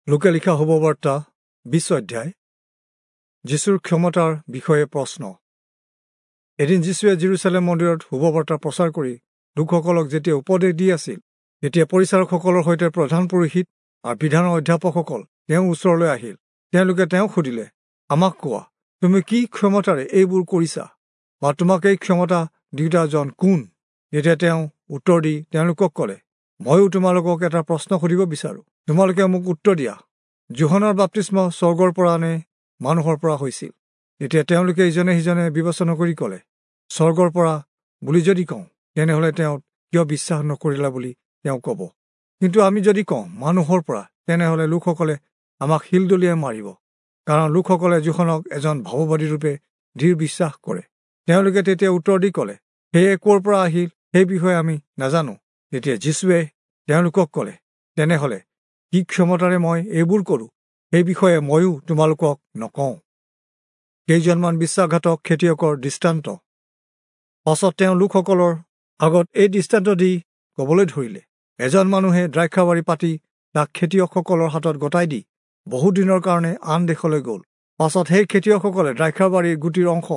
লোকে লিখা শুভবাৰ্তা 20 অধ্যায়। যীশুৰ ক্ষমতাৰ বিষয়ে প্ৰশ্ন। এদিন যীশুৱে যিৰূচালেম মন্দিৰত শুভবাৰ্তা প্ৰচাৰ কৰি লোকসকলক যেতিয়া উপদেশ দি আছিল, তেতিয়া পৰিচাৰকসকলৰ সৈতে প্ৰধান পুৰোহিত আৰু বিধানৰ অধ্যাপকসকল তেওঁৰ ওচৰলৈ আহিল। তেওঁলোকে তেওঁক সুধিলে, আমাক কোৱা, তুমি কি ক্ষমতাৰে এইবোৰ কৰিছা, বা তোমাক এই ক্ষমতা দিওঁতাজন কোন? তেতিয়া তেওঁ উত্তৰ দি তেওঁলোকক ক'লে, ময়ো তোমালোকক এটা প্ৰশ্ন সুধিব বিচাৰোঁ, তোমালোকে মোক উত্তৰ দিয়া। যোহনৰ বাপ্তিস্ম স্বৰ্গৰ পৰা নে মানুহৰ পৰা হৈছিল? তেতিয়া তেওঁলোকে ইজনে সিজনে বিবেচনা কৰি ক'লে, স্বৰ্গৰ পৰা বুলি যদি কওঁ, তেনেহ'লে তেওঁ কিয় বিশ্বাস নকৰিলা বুলি তেওঁ ক'ব। কিন্তু আমি যদি কওঁ মানুহৰ পৰা, তেনেহ'লে লোকসকলে আমাক শিল দলিয়াই মাৰিব, কাৰণ লোকসকলে যোহনক এজন ভাৱবাদীৰূপে দৃঢ় বিশ্বাস কৰে। তেওঁলোকে তেতিয়া উত্তৰ দি ক'লে, সেয়ে ক'ৰ পৰা আহিল সেই বিষয়ে আমি নাজানো। তেতিয়া যীশুৱে তেওঁলোকক ক'লে, তেনেহ'লে কি ক্ষমতাৰে মই এইবোৰ কৰোঁ সেই বিষয়ে ময়ো তোমালোকক নকওঁ। কেইজনমান বিশ্বাসঘাতক খেতিয়কৰ দৃষ্টান্ত। পাছত তেওঁ লোকসকলৰ আগত এই দৃষ্টান্ত দি ক'বলৈ ধৰিলে, এজন মানুহে দ্ৰাক্ষাবাৰী পাতি তাক খেতিয়কসকলৰ হাতত গতাই দি বহুদিনৰ কাৰণে আন দেশলৈ গ'ল। পাছত সেই খেতিয়কসকলে দ্ৰাক্ষাবাৰীৰ গুটিৰ অংশ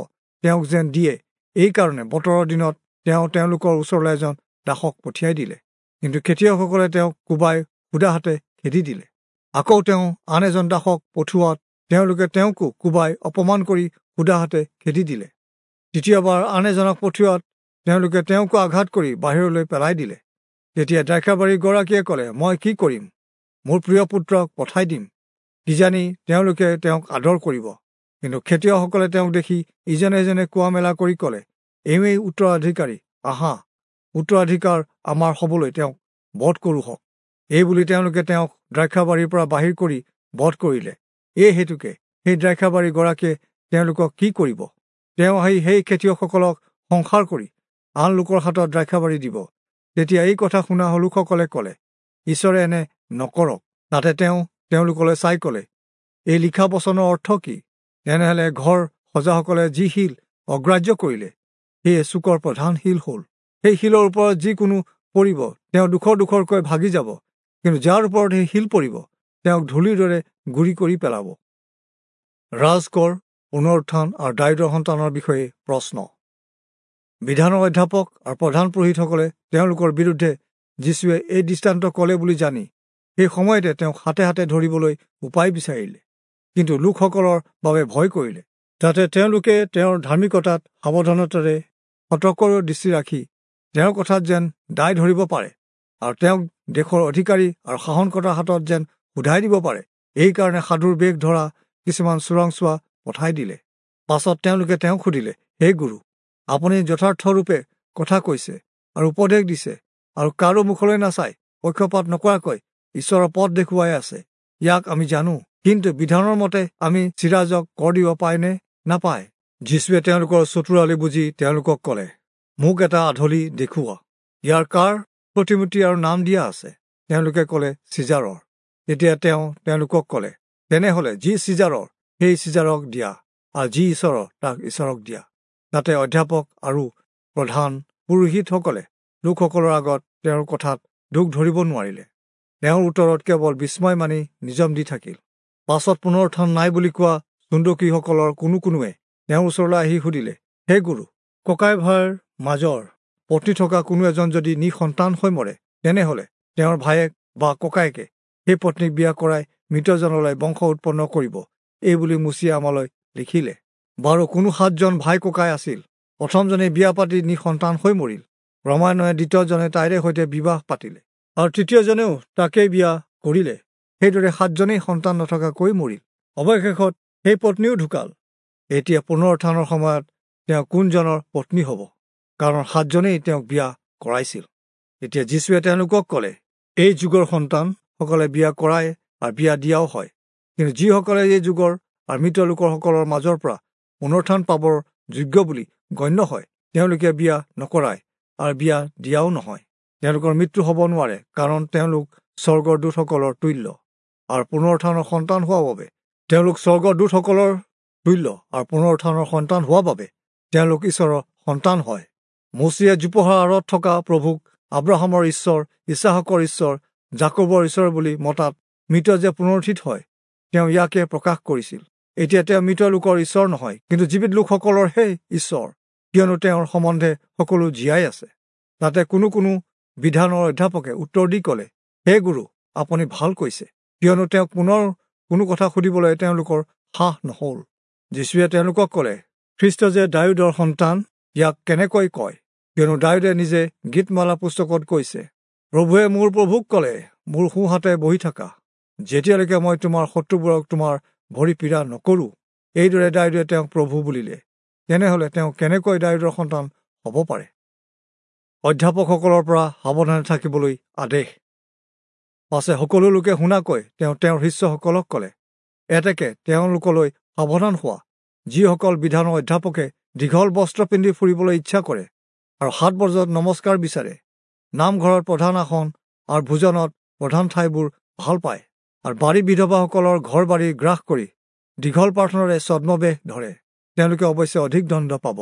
তেওঁক যেন দিয়ে, এইকাৰণে বতৰৰ দিনত তেওঁ তেওঁলোকৰ ওচৰলৈ এজন দাসক পঠিয়াই দিলে। কিন্তু খেতিয়কসকলে তেওঁক কোবাই সুদা হাতে খেদি দিলে। আকৌ তেওঁ আন এজন দাসক পঠোৱাত তেওঁলোকে তেওঁকো কোবাই অপমান কৰি সুদা হাতে খেদি দিলে। তৃতীয়বাৰ আন এজনক পঠোৱাত তেওঁলোকে তেওঁকো আঘাত কৰি বাহিৰলৈ পেলাই দিলে। তেতিয়া দ্ৰাক্ষাবাৰীৰ গৰাকীয়ে ক'লে, মই কি কৰিম? মোৰ প্ৰিয় পুত্ৰক পঠাই দিম, কিজানি তেওঁলোকে তেওঁক আদৰ কৰিব। কিন্তু খেতিয়কসকলে তেওঁক দেখি ইজনে ইজনে কোৱা মেলা কৰি ক'লে, এওঁৱেই উত্তৰাধিকাৰী, আহা, উত্তৰাধিকাৰ আমাৰ হ'বলৈ তেওঁক বধ কৰোঁহক। এই বুলি তেওঁলোকে তেওঁক দ্ৰাক্ষাবাৰীৰ পৰা বাহিৰ কৰি বধ কৰিলে। এই হেতুকে সেই দ্ৰাক্ষাবাৰীৰ গৰাকীয়ে তেওঁলোকক কি কৰিব? তেওঁ আহি সেই খেতিয়কসকলক সংসাৰ কৰি আন লোকৰ হাতত দ্ৰাক্ষাবাৰী দিব। তেতিয়া এই কথা শুনা লোকসকলে ক'লে, ঈশ্বৰে এনে নকৰক। তাতে তেওঁ তেওঁলোকলৈ চাই ক'লে, এই লিখা বচনৰ অৰ্থ কি? তেনেহ'লে ঘৰ সজাসকলে যি শিল অগ্ৰাহ্য কৰিলে, সেয়ে চুকৰ প্ৰধান শিল হ'ল। সেই শিলৰ ওপৰত যিকোনো পৰিব, তেওঁ দুখৰ দুখৰকৈ ভাগি যাব, কিন্তু যাৰ ওপৰত সেই শিল পৰিব, তেওঁক ধূলিৰ দৰে গুৰি কৰি পেলাব। ৰাজকৰ, পুনৰুত্থান আৰু দায়ূদৰ সন্তানৰ বিষয়ে প্ৰশ্ন। বিধানৰ অধ্যাপক আৰু প্ৰধান পুৰোহিতসকলে তেওঁলোকৰ বিৰুদ্ধে যীশুৱে এই দৃষ্টান্ত ক'লে বুলি জানি সেই সময়তে তেওঁক হাতে হাতে ধৰিবলৈ উপায় বিচাৰিলে, কিন্তু লোকসকলৰ বাবে ভয় কৰিলে, যাতে তেওঁলোকে তেওঁৰ ধাৰ্মিকতাত সাৱধানতাৰে সতৰ্কৰ দৃষ্টি ৰাখি তেওঁৰ কথাত যেন দায় ধৰিব পাৰে আৰু তেওঁক দেশৰ অধিকাৰী আৰু শাসনকৰ্তাৰ হাতত যেন সোধাই দিব পাৰে, এইকাৰণে সাধুৰ বেশ ধৰা কিছুমান চোৰাংচোৱা পঠাই দিলে। পাছত তেওঁলোকে তেওঁক সুধিলে, হে গুৰু, আপুনি যথাৰ্থৰূপে কথা কৈছে আৰু উপদেশ দিছে আৰু কাৰো মুখলৈ নাচাই পক্ষপাত নকৰাকৈ ঈশ্বৰৰ পথ দেখুৱাই আছে, ইয়াক আমি জানো। কিন্তু বিধানৰ মতে আমি চিৰাজক কৰ দিব পায় নে নাপায়? যীশুৱে তেওঁলোকৰ চতুৰালি বুজি তেওঁলোকক ক'লে, মোক এটা আধলি দেখুওৱা, ইয়াৰ কাৰ প্ৰতিমূৰ্তি আৰু নাম দিয়া আছে? তেওঁলোকে ক'লে, চিজাৰৰ। তেতিয়া তেওঁ তেওঁলোকক ক'লে, তেনেহ'লে যি চিজাৰৰ সেই চিজাৰক দিয়া, আৰু যি ঈশ্বৰৰ তাক ঈশ্বৰক দিয়া। তাতে অধ্যাপক আৰু প্ৰধান পুৰোহিতসকলে লোকসকলৰ আগত তেওঁৰ কথাত দুখ ধৰিব নোৱাৰিলে। তেওঁৰ উত্তৰত কেৱল বিস্ময় মানি নিজম দি থাকিল। পাছত পুনৰুত্থান নাই বুলি কোৱা চুন্দকীসকলৰ কোনো কোনোৱে তেওঁৰ ওচৰলৈ আহি সুধিলে, হে গুৰু, ককাই ভাইৰ মাজৰ পত্নী থকা কোনো এজন যদি নিঃসন্তান হৈ মৰে, তেনেহ'লে তেওঁৰ ভায়েক বা ককায়েকে সেই পত্নীক বিয়া কৰাই মৃতজনলৈ বংশ উৎপন্ন কৰিব, এই বুলি মোচিয়ে আমালৈ লিখিলে। বাৰু কোনো 7জন ভাই ককাই আছিল। প্ৰথমজনে বিয়া পাতি নিঃসন্তান হৈ মৰিল। ক্ৰমান্বয়ে দ্বিতীয়জনে তাইৰে সৈতে বিবাহ পাতিলে আৰু তৃতীয়জনেও তাকেই বিয়া কৰিলে। সেইদৰে 7জনেই সন্তান নথকাকৈ মৰিল। অৱশেষত সেই পত্নীও ঢুকাল। এতিয়া পুনৰুত্থানৰ সময়ত তেওঁ কোনজনৰ পত্নী হ'ব? কাৰণ 7জনেই তেওঁক বিয়া কৰাইছিল। এতিয়া যীশুৱে তেওঁলোকক ক'লে, এই যুগৰ সন্তানসকলে বিয়া কৰায় আৰু বিয়া দিয়াও হয়, কিন্তু যিসকলে এই যুগৰ আৰু মৃত লোকসকলৰ মাজৰ পৰা পুনৰুত্থান পাবৰ যোগ্য বুলি গণ্য হয়, তেওঁলোকে বিয়া নকৰায় আৰু বিয়া দিয়াও নহয়। তেওঁলোকৰ মৃত্যু হ'ব নোৱাৰে, কাৰণ তেওঁলোক স্বৰ্গৰ দূতসকলৰ তুল্য আৰু পুনৰুত্থানৰ সন্তান হোৱাৰ বাবে তেওঁলোক স্বৰ্গৰ দূতসকলৰ তুল্য আৰু পুনৰুত্থানৰ সন্তান হোৱাৰ বাবে তেওঁলোক ঈশ্বৰৰ সন্তান হয়। মোচিয়ে জোপোহাৰ আঁৰত থকা প্ৰভুক আব্ৰাহামৰ ঈশ্বৰ, ইছহাকৰ ঈশ্বৰ, যাকোবৰ ঈশ্বৰ বুলি মতাত মৃত যে পুনৰুত্থিত হয়, তেওঁ ইয়াকে প্ৰকাশ কৰিছিল। এতিয়া তেওঁ মৃত লোকৰ ঈশ্বৰ নহয়, কিন্তু জীৱিত লোকসকলৰহে ঈশ্বৰ, কিয়নো তেওঁৰ সম্বন্ধে সকলো জীয়াই আছে। তাতে কোনো কোনো বিধানৰ অধ্যাপকে উত্তৰ দি ক'লে, হে গুৰু, আপুনি ভাল কৈছে। কিয়নো তেওঁক পুনৰ কোনো কথা সুধিবলৈ তেওঁলোকৰ সাহ নহ'ল। যীশুৱে তেওঁলোকক ক'লে, খ্ৰীষ্ট যে দায়ূদৰ সন্তান, ইয়াক কেনেকৈ কয়? কিয়নো দায়ূদে নিজে গীতমালা পুস্তকত কৈছে, প্ৰভুৱে মোৰ প্ৰভুক ক'লে, মোৰ সোঁহাতে বহি থাকা, যেতিয়ালৈকে মই তোমাৰ শত্ৰুবোৰক তোমাৰ ভৰি পীড়া নকৰোঁ। এইদৰে দায়ূদে তেওঁক প্ৰভু বুলিলে। তেনেহ'লে তেওঁ কেনেকৈ দায়ূদৰ সন্তান হ'ব পাৰে? অধ্যাপকসকলৰ পৰা সাৱধানে থাকিবলৈ আদেশ। পাছে সকলো লোকে শুনাকৈ তেওঁ তেওঁৰ শিষ্যসকলক ক'লে, এতেকে তেওঁলোকলৈ সাৱধান হোৱা, যিসকল বিধানৰ অধ্যাপকে দীঘল বস্ত্ৰ পিন্ধি ফুৰিবলৈ ইচ্ছা কৰে আৰু 7 বজাত নমস্কাৰ বিচাৰে, নামঘৰত প্ৰধান আসন আৰু ভোজনত প্ৰধান ঠাইবোৰ ভাল পায়, আৰু বাৰী বিধৱাসকলৰ ঘৰ বাৰী গ্ৰাস কৰি দীঘল প্ৰাৰ্থনাৰে ছদ্মবেশ ধৰে, তেওঁলোকে অৱশ্যে অধিক দণ্ড পাব।